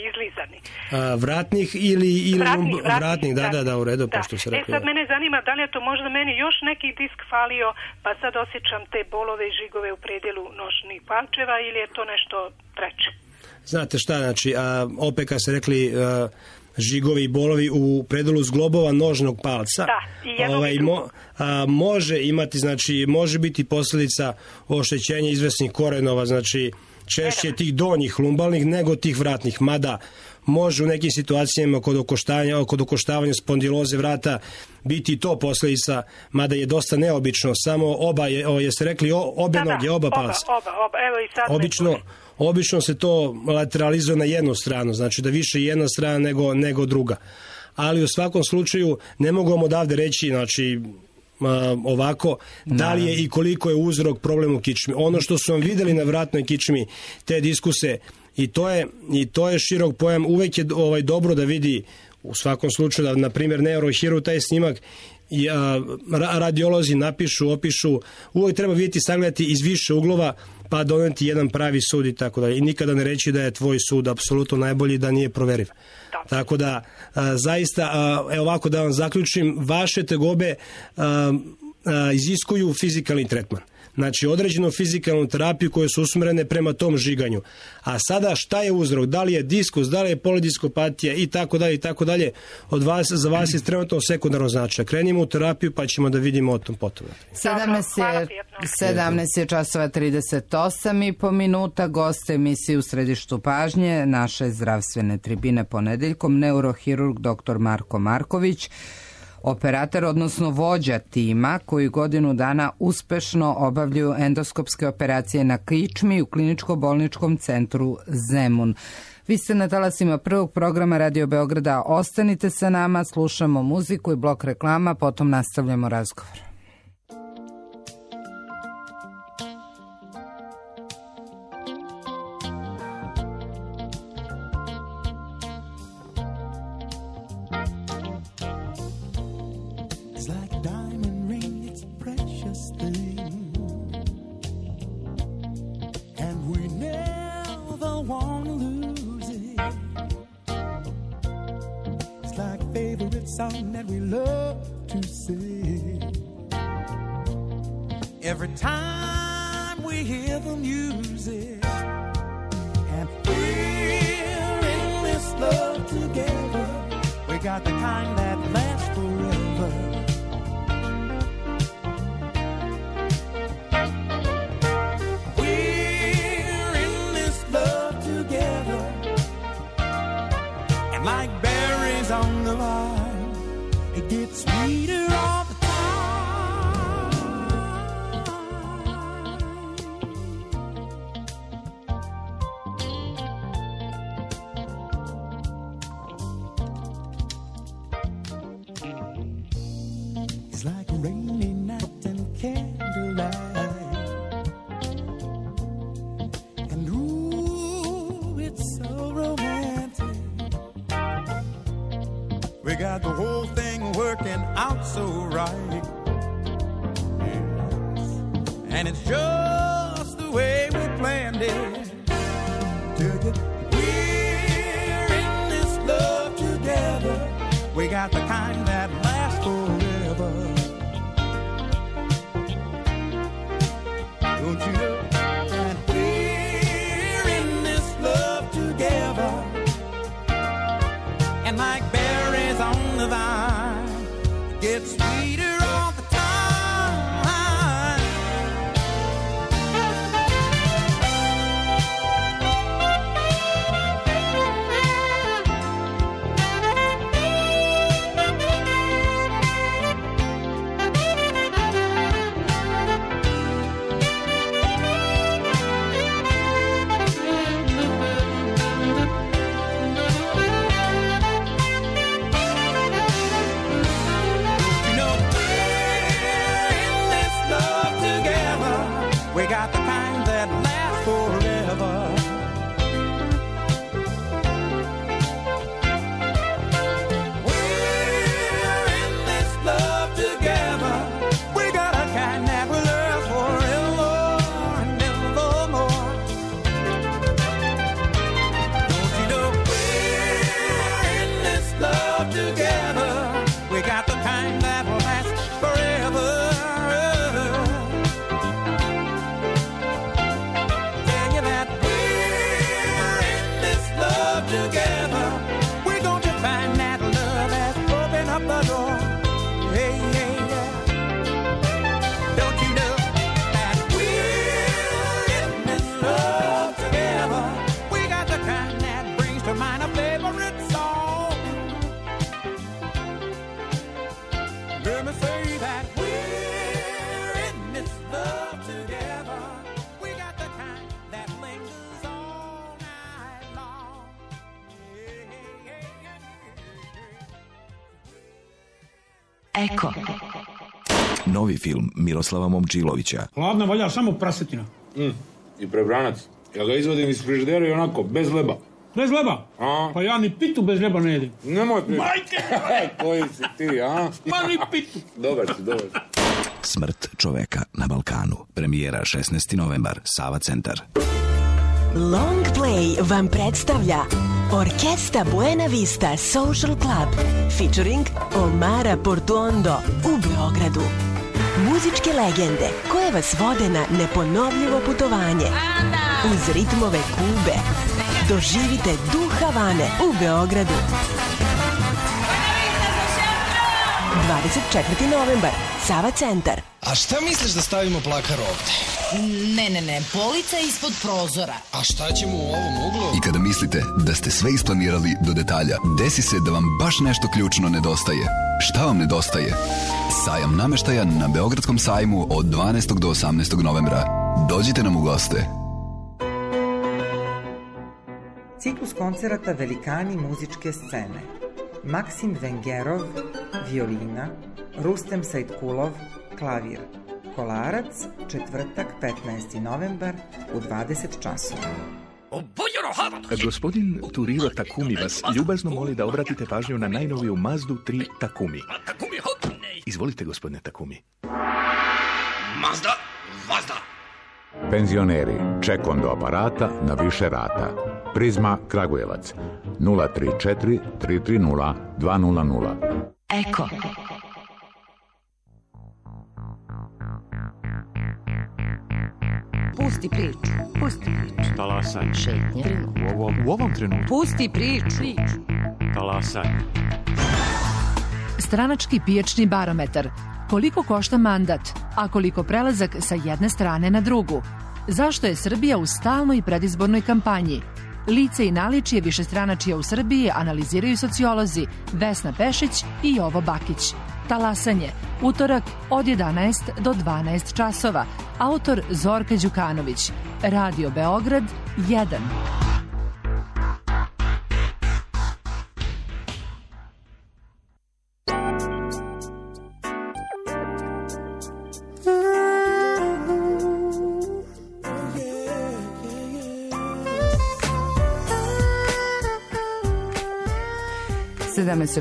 izlizani. Vratnih ili vratnih, da, u redu, pošto se rekao. Sad mene zanima da li je to možda meni još neki disk falio, pa sad osjećam te bolove i žigove u predjelu nošnih palčeva, ili je to nešto treće? Znate šta, znači, opet kad se rekli žigovi i bolovi u predelu zglobova nožnog palca, može imati, znači, može biti posljedica oštećenja izvesnih korenova, znači, češće tih donjih lumbalnih nego tih vratnih, mada može u nekim situacijama kod okoštavanja spondiloze vrata biti to posljedica, mada je dosta neobično, samo jeste rekli obe noge, oba palca. Obično se to lateralizuje na jednu stranu, znači da više jedna strana nego druga. Ali u svakom slučaju ne mogu odavde reći, znači, ovako, da li je i koliko je uzrok problem u kičmi. Ono što su vam videli na vratnoj kičmi, te diskuse, i to je širok pojam, uvek je dobro da vidi, u svakom slučaju, da, na primjer, neurohirurg taj snimak radiolozi napišu, opišu, uvek treba vidjeti, sagledati iz više uglova, pa doneti jedan pravi sud i tako dalje. I nikada ne reći da je tvoj sud apsolutno najbolji, da nije proveriv. Tako da, zaista, ovako da vam zaključim, vaše tegobe iziskuju fizikalni tretman. Znači, određenu fizikalnu terapiju koje su usmjerene prema tom žiganju. A sada šta je uzrok? Da li je diskus, da li je polidiskopatija i tako dalje, za vas je trenutno sekundarno značaj. Krenimo u terapiju pa ćemo da vidimo o tom potom. 17:38 gost emisije u središtu pažnje naše zdravstvene tribine ponedeljkom, neurohirurg dr. Marko Marković, operator, odnosno vođa tima koji godinu dana uspešno obavljaju endoskopske operacije na kičmi u kliničko-bolničkom centru Zemun. Vi ste na talasima prvog programa Radio Beograda. Ostanite sa nama, slušamo muziku i blok reklama, potom nastavljamo razgovor. Song that we love to sing. Every time we hear the music, and we're in this love together. We got the kind that lasts forever. We're in this love together, and like berries on the vine, it gets sweeter all the time. It's like a rainy night and candlelight, and ooh, it's so romantic. We got the whole thing working out so right, yes. And it's just the way we planned it. We're in this love together. We got the kind that lasts forever. Don't you know? And we're in this love together, and like berries on the vine, it gets sweeter all the time. You know, love together. We got the kind that will last forever. Tell you that we're in this love together. We're going to find that love has opened up the door. Hey, hey, yeah. Don't you know that we're in this love together? We got the kind that brings to mind a favorite song. Let me say that we're in this love together. We got the kind that lingers all night long. Hey, hey, hey, hey. Eko. Novi film Miroslava Momčilovića. Hladna valja samo prasetina. I prebranac. Ja ga izvodim iz frižidera i onako, bez leba. Bez leba? A? Pa ja ni pitu bez leba ne jedim. Nemoj pitu. Majke! Koji si ti, a? Ma ni pitu. Dobar si, dobar si. Smrt čoveka na Balkanu. Premijera 16. novembar, Sava centar. Long Play vam predstavlja Orkesta Buena Vista Social Club featuring Omara Portuondo u Beogradu. Muzičke legende koje vas vode na neponovljivo putovanje uz ritmove Kube. Doživite duh Havane u Beogradu. 24. novembar, Sava centar. A šta misliš da stavimo plakar ovde? Ne, polica ispod prozora. A šta ćemo u ovom uglu? I kada mislite da ste sve isplanirali do detalja, desi se da vam baš nešto ključno nedostaje. Šta vam nedostaje? Sajam nameštaja na Beogradskom sajmu od 12. do 18. novembra. Dođite nam u goste. Ciklus koncerata Velikani muzičke scene. Maksim Vengerov, violina, Rustem Sajtkulov, klavir. Kolarac, četvrtak, 15. novembar u 20 časova. Gospodin Turiro Takumi vas ljubazno moli da obratite pažnju na najnoviju Mazdu 3 Takumi. Izvolite, gospodine Takumi. Mazda, Mazda. Penzioneri, ček do aparata na više rata. Prizma Kragujevac, 034 330 200. Eko. Pusti priču. Talasaj. Šetnje. U ovom trenutku. Pusti priču. Talasaj. Stranački pijačni barometar. Koliko košta mandat, a koliko prelazak sa jedne strane na drugu? Zašto je Srbija u stalnoj predizbornoj kampanji? Lice i naličje višestranačija u Srbiji analiziraju sociolozi Vesna Pešić i Jovo Bakić. Talasanje, utorak od 11 do 12 časova. Autor Zorka Đukanović. Radio Beograd 1.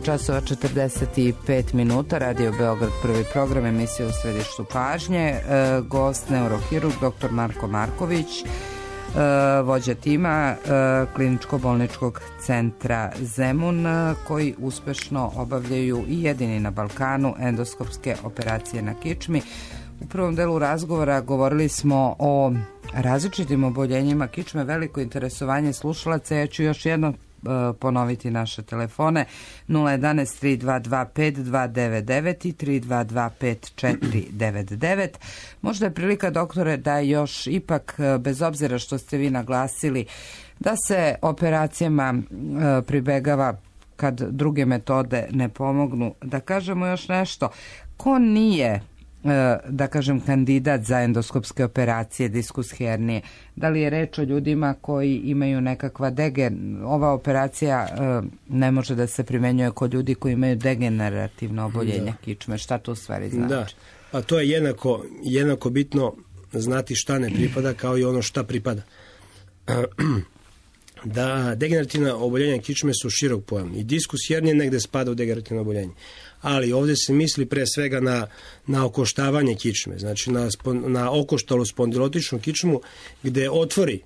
časova 45 minuta, Radio Beograd, prvi program, emisija u središtu pažnje. Gost neurohirurg dr. Marko Marković, vođa tima kliničko-bolničkog centra Zemun, koji uspešno obavljaju i jedini na Balkanu endoskopske operacije na kičmi. U prvom delu razgovora govorili smo o različitim oboljenjima kičme, veliko interesovanje slušalaca. Ja ću još jedno ponoviti naše telefone 011 322 5299 i 322 5499. Možda je prilika, doktore, da još ipak, bez obzira što ste vi naglasili da se operacijama pribegava kad druge metode ne pomognu, da kažemo još nešto. Ko nije, da kažem, kandidat za endoskopske operacije diskus hernije? Da li je reč o ljudima koji imaju nekakva ova operacija ne može da se primenjuje kod ljudi koji imaju degenerativno oboljenje kičme? Šta to u stvari znači? Da, pa to je jednako bitno znati šta ne pripada kao i ono šta pripada. Da degenerativna oboljenja kičme su širok pojam i diskus hernije negde spada u degenerativno oboljenje. Ali ovdje se misli pre svega na okoštavanje kičme, znači na okoštalu spondilotičnu kičmu gde otvori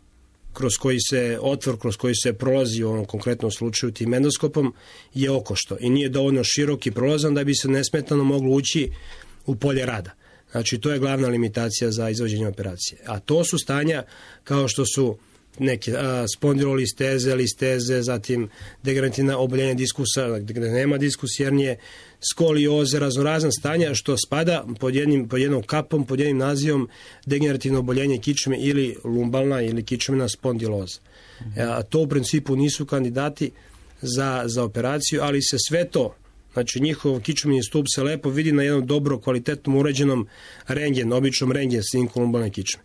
otvor kroz koji se prolazi u ovom konkretnom slučaju tim endoskopom je okošto i nije dovoljno širok i prolazan da bi se nesmetano moglo ući u polje rada. Znači, to je glavna limitacija za izvođenje operacije. A to su stanja kao što su neke spondilolisteze, listeze, zatim degenerativna oboljenja diskusa, gde nema diskus hernije, skolioze, raznorazna stanja što spada pod jednom kapom, pod jednim nazivom degenerativno oboljenje kičme ili lumbalna ili kičmena spondiloza. To u principu nisu kandidati za operaciju, ali se sve to, znači njihov kičmeni stup se lepo vidi na jednom dobro kvalitetnom uređenom običnom rentgen snimku lumbalne kičme.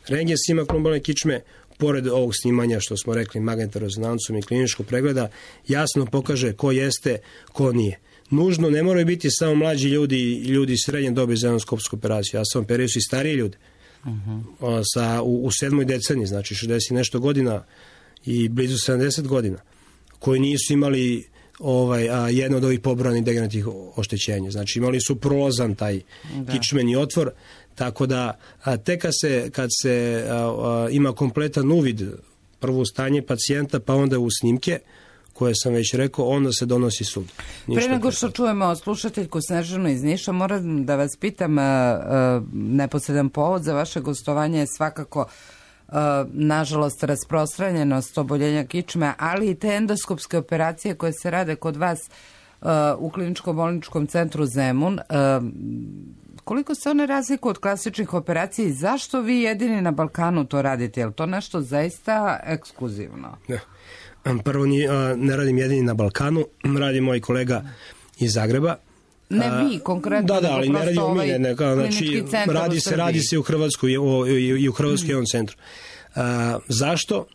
Rentgen snimak lumbalne kičme, pored ovog snimanja što smo rekli magnetnom rezonancom i kliničkog pregleda, jasno pokaže ko jeste, ko nije. Nužno ne moraju biti samo mlađi ljudi srednje dobi za endoskopsku operaciju. Ja sam operio i stariji ljudi u 7. deceniji, znači 60 i nešto godina i blizu 70 godina, koji nisu imali jedno od ovih pobrojanih degenerativnih oštećenja. Znači imali su prolazan taj kičmeni otvor, tako da tek kad se ima kompletan uvid prvo u stanje pacijenta pa onda u snimke koje sam već rekao, onda se donosi sud. Pre nego što čujemo slušateljku Snežanu iz Niša, moram da vas pitam, neposredan povod za vaše gostovanje je svakako nažalost rasprostranjenost oboljenja kičme, ali i te endoskopske operacije koje se rade kod vas u kliničko-bolničkom centru Zemun. Koliko se one razlikuju od klasičnih operacija i zašto vi jedini na Balkanu to radite? Je li to nešto zaista ekskluzivno? Prvo, ne radim jedini na Balkanu, radi moj kolega iz Zagreba. Ne vi, konkretno. Da, ali ne radimo mi, znači radi se u Hrvatskoj i u Hrvatskoj jednom centru. Zašto?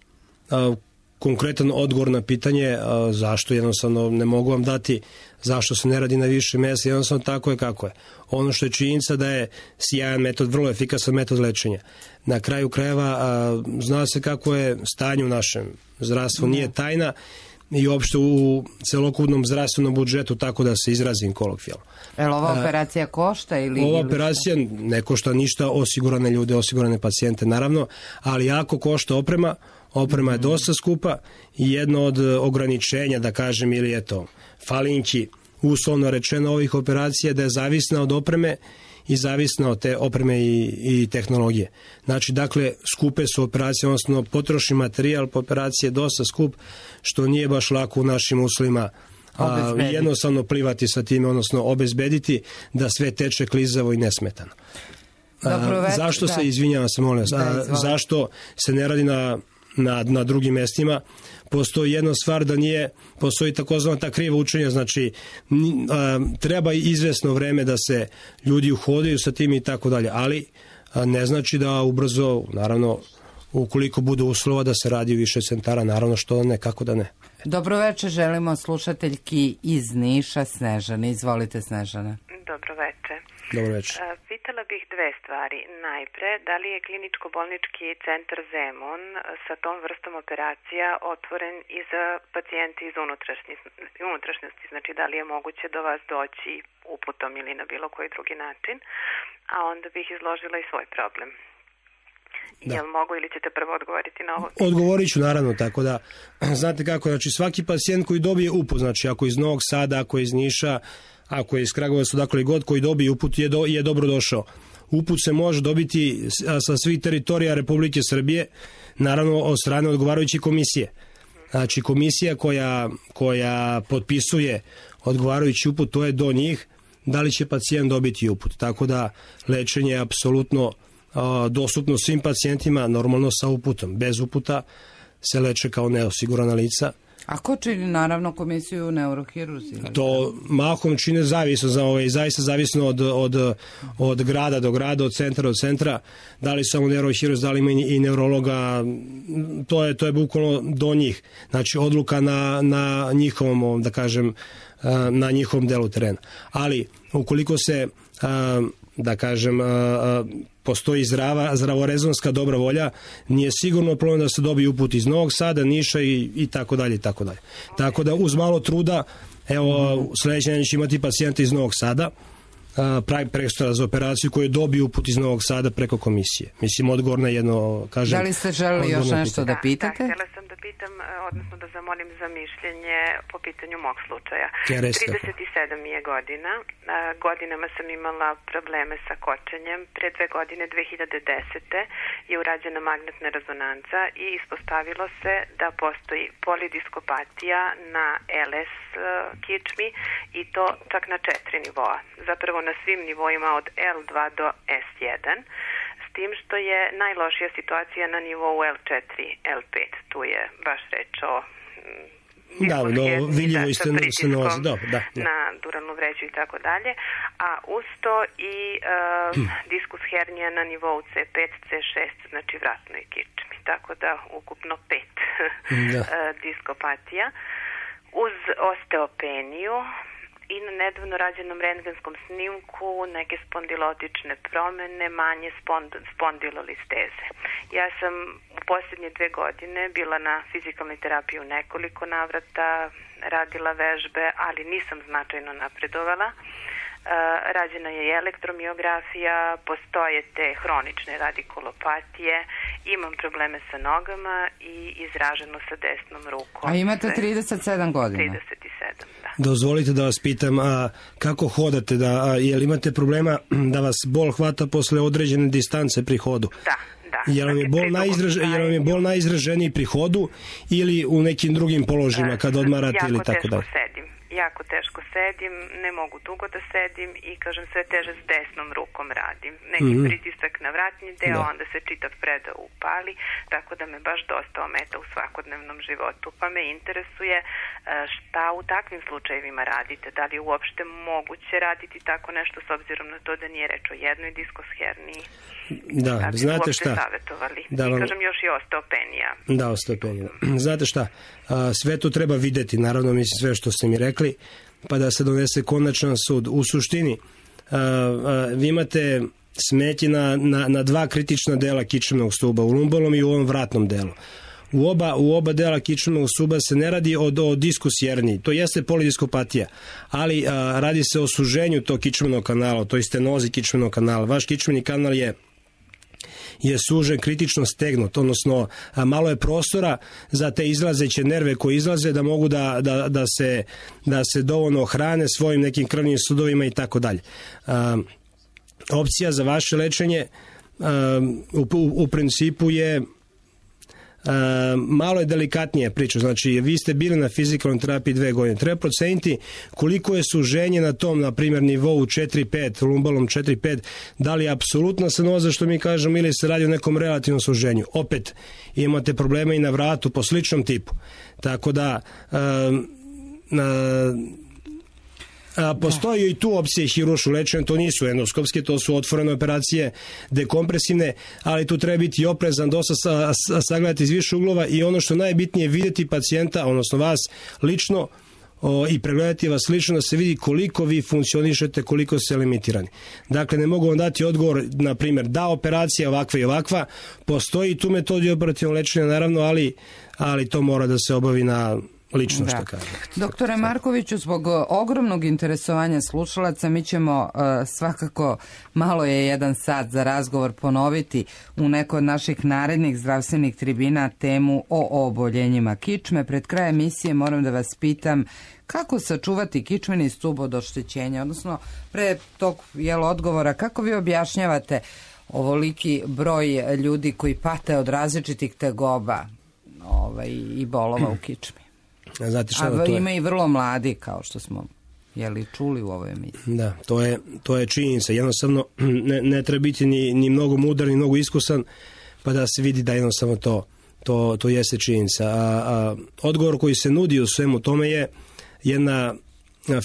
Konkretan odgovor na pitanje zašto jednostavno ne mogu vam dati, zašto se ne radi na više mjesta, jednostavno tako je kako je. Ono što je činjenica da je sjajan metod, vrlo efikasan metod lečenja. Na kraju krajeva zna se kako je stanje u našem zdravstvu, nije tajna i uopšte u celokupnom zdravstvenom budžetu, tako da se izrazim kolokvijalno. Ova operacija košta ili... Ova operacija ne košta ništa, osigurane ljude, osigurane pacijente naravno, ali jako košta oprema. Oprema je dosta skupa i jedno od ograničenja, da kažem, ili eto, falinki, uslovno rečeno ovih operacija, da je zavisna od opreme i zavisna od te opreme i tehnologije. Znači, dakle, skupe su operacije, odnosno potrošni materijal po operaciji je dosta skup, što nije baš lako u našim uslovima jednostavno plivati sa time, odnosno obezbediti da sve teče klizavo i nesmetano. Zašto se, izvinjavam se, molim vas, zašto se ne radi na drugim mestima? Postoji jedna stvar da postoji takozvana ta kriva učenja, znači treba izvesno vreme da se ljudi uhodaju sa tim i tako dalje, ali ne znači da ubrzo, naravno, ukoliko bude uslova da se radi u više centara, naravno što ne, kako da ne. Dobroveče, želimo slušateljki iz Niša, Snežane. Izvolite, Snežane. Dobroveče. Dobroveče. Pitala bih dve stvari. Najpre, da li je kliničko-bolnički centar Zemun sa tom vrstom operacija otvoren i za pacijente iz unutrašnjosti? Znači, da li je moguće do vas doći uputom ili na bilo koji drugi način? A onda bih izložila i svoj problem. Jel mogu ili ćete prvo odgovoriti na ovo? Odgovorit ću, naravno, tako da, znate kako, znači svaki pacijent koji dobije uput, znači ako iz Novog Sada, ako iz Niša, ako je iz Kragujevca, dakle god koji dobije uput je dobro došao. Uput se može dobiti sa svih teritorija Republike Srbije, naravno od strane odgovarajuće komisije. Znači komisija koja potpisuje odgovarajući uput, to je do njih, da li će pacijent dobiti uput. Tako da lečenje je apsolutno dostupno svim pacijentima, normalno sa uputom. Bez uputa se leče kao neosigurana lica. A ko čini, naravno, komisiju neurohirurzi? To mahom čine zaista zavisno od grada do grada, od centra do centra. Da li samo neurohirurzi, da li ima i neurologa, to je bukvalno do njih. Znači, odluka na njihovom, da kažem, na njihovom delu terena. Ali, ukoliko se, da kažem, postoji zdravorezonska dobra volja, nije sigurno problem da se dobije uput iz Novog Sada, Niša i tako dalje i tako dalje. Tako da uz malo truda, evo, sledeće neće imati pacijenta iz Novog Sada, prekstora za operaciju koju je dobio uput iz Novog Sada preko komisije. Mislim, odgovor na jedno, kažem... Da li ste želeli još nešto da pitate? Da, htjela sam da pitam, odnosno da zamolim za mišljenje po pitanju mog slučaja. 37 mi je godina. Godinama sam imala probleme sa kočenjem. Pre 2 godine, 2010. je urađena magnetna rezonanca i ispostavilo se da postoji polidiskopatija na LS kičmi i to čak na 4 nivoa. Zapravo na svim nivoima od L2 do S1, s tim što je najlošija situacija na nivou L4, L5. Tu je baš reč o vidljivo sa pritiskom na duralnu vreću i tako dalje, a uz to i diskus hernija na nivou C5, C6, znači vratnoj kičmi. Tako da ukupno 5 diskopatija. Uz osteopeniju i na nedavno rađenom rentgenskom snimku neke spondilotične promene, manje spondilolisteze. Ja sam u posljednje 2 godine bila na fizikalnoj terapiji u nekoliko navrata, radila vežbe, ali nisam značajno napredovala. Rađena je i elektromiografija, postoje te hronične radikulopatije, imam probleme sa nogama i izraženo sa desnom rukom. A imate 37 godina? 37, da. Dozvolite da vas pitam, kako hodate, jel imate problema da vas bol hvata posle određene distance pri hodu? Da. Jel vam je bol najizraženiji pri hodu ili u nekim drugim položajima kada odmarate ili tako dalje? Jako teško sedim, ne mogu dugo da sedim i kažem sve teže s desnom rukom radim. Neki pritisak na vratni deo, onda se čitav predao upali, tako da me baš dosta ometa u svakodnevnom životu. Pa me interesuje šta u takvim slučajevima radite, da li je uopšte moguće raditi tako nešto s obzirom na to da nije reč o jednoj diskosherniji. Da, znate šta? I kažem još i osteopenija. Da, osteopenija. Znate šta? Sve to treba videti, naravno, mislim sve što ste mi rekli, pa da se donese konačan sud. U suštini, vi imate smetnje na 2 kritična dela kičmenog stuba, u lumbalnom i u ovom vratnom delu. U oba dela kičmenog stuba se ne radi o diskus herniji, to jeste polidiskopatija, ali radi se o suženju tog kičmenog kanala, to je stenozi kičmenog kanala. Vaš kičmeni kanal je sužen, kritično stegnut, odnosno malo je prostora za te izlazeće nerve koje izlaze da mogu da se dovoljno hrane svojim nekim krvnim sudovima i tako dalje. Opcija za vaše lečenje u principu je malo je delikatnije priča, znači vi ste bili na fizikalnoj terapiji 2 godine, treba proceniti koliko je suženje na tom, na primjer, nivou 4-5, lumbalom 4-5, da li je apsolutna stenoza, što mi kažemo, ili se radi o nekom relativnom suženju. Opet imate probleme i na vratu po sličnom tipu, tako da postoji i tu opcije hirurškog lečenja, to nisu endoskopske, to su otvorene operacije, dekompresivne, ali tu treba biti oprezan, dosta sagledati iz više uglova i ono što najbitnije je vidjeti pacijenta, odnosno vas lično, i pregledati vas lično da se vidi koliko vi funkcionišete, koliko ste limitirani. Dakle, ne mogu vam dati odgovor, na primjer, da operacija ovakva i ovakva, postoji tu metodi operativnog lečenja, naravno, ali to mora da se obavi na lično, što kažem. Doktore Markoviću, zbog ogromnog interesovanja slušalaca, mi ćemo svakako, malo je 1 sat za razgovor, ponoviti u nekoj od naših narednih zdravstvenih tribina temu o oboljenjima kičme. Pred kraj emisije moram da vas pitam kako sačuvati kičmeni stub od oštećenja, odnosno pre tog odgovora, kako vi objašnjavate ovoliki broj ljudi koji pate od različitih tegoba i bolova u kičmi? Ima i vrlo mladi, kao što smo čuli u ovoj emisiji. Da, to je činjenica. Jednostavno ne treba biti ni mnogo mudar, ni mnogo iskusan, pa da se vidi da jednostavno to jeste činjenica. Odgovor koji se nudi u svemu tome je jedna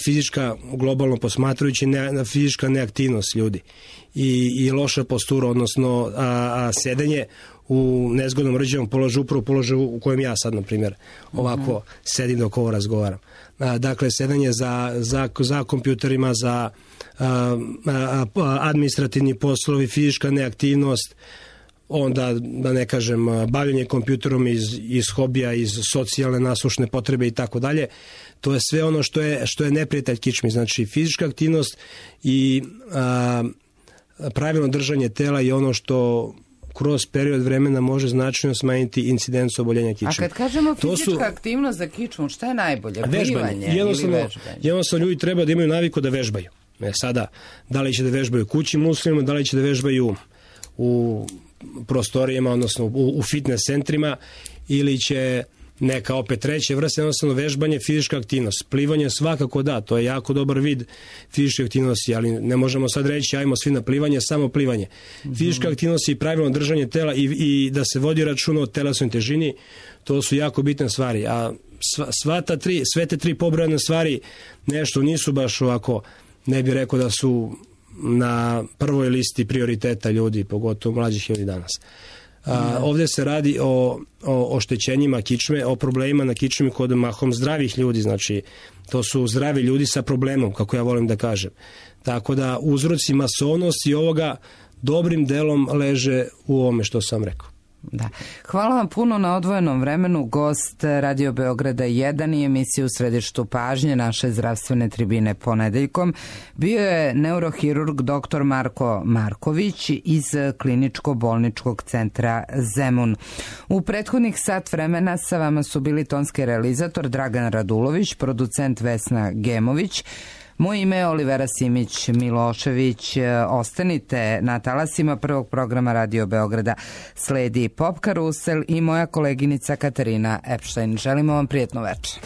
fizička, globalno posmatrajući, fizička neaktivnost ljudi i loša postura, odnosno sedenje u nezgodnom rđavom položaju, upravo položaju u kojem ja sad, na primjer, ovako sedim dok ovo razgovaram. Dakle, sedenje za kompjuterima, za administrativni poslovi, fizička neaktivnost, onda, da ne kažem, bavljenje kompjuterom iz hobija, iz socijalne nasušne potrebe i tako dalje. To je sve ono što je neprijatelj kičmi. Znači, fizička aktivnost i pravilno držanje tela je ono što kroz period vremena može značajno smanjiti incidenciju oboljenja kičme. A kad kažemo fizička aktivnost za kičmu, šta je najbolje? Plivanje ili vežbanje? Jednostavno ljudi treba da imaju naviku da vežbaju. Sada, da li će da vežbaju kući muslimima, da li će da vežbaju u prostorijama, odnosno u fitness centrima, ili će neka opet treća vrsta, jednostavno vežbanje, fizička aktivnost. Plivanje svakako da, to je jako dobar vid fizičke aktivnosti, ali ne možemo sad reći ajmo svi na plivanje, samo plivanje. Fizička aktivnost i pravilno držanje tela i da se vodi računa o telesnoj težini, to su jako bitne stvari. A sve te tri pobrojane stvari nešto nisu baš ovako, ne bih rekao da su na prvoj listi prioriteta ljudi, pogotovo mlađih ljudi danas. Ovdje se radi o oštećenjima kičme, o problemima na kičmi kod mahom zdravih ljudi, znači to su zdravi ljudi sa problemom, kako ja volim da kažem. Tako da uzroci masovnosti ovoga dobrim delom leže u ovome što sam rekao. Da. Hvala vam puno na odvojenom vremenu. Gost Radio Beograda 1 i emisije U središtu pažnje naše zdravstvene tribine ponedeljkom bio je neurohirurg dr. Marko Marković iz Kliničko-bolničkog centra Zemun. U prethodnih sat vremena sa vama su bili tonski realizator Dragan Radulović, producent Vesna Gemović. Moje ime je Olivera Simić Milošević. Ostanite na talasima prvog programa Radio Beograda. Sledi Pop Karusel i moja koleginica Katarina Epštajn. Želimo vam prijetno večer.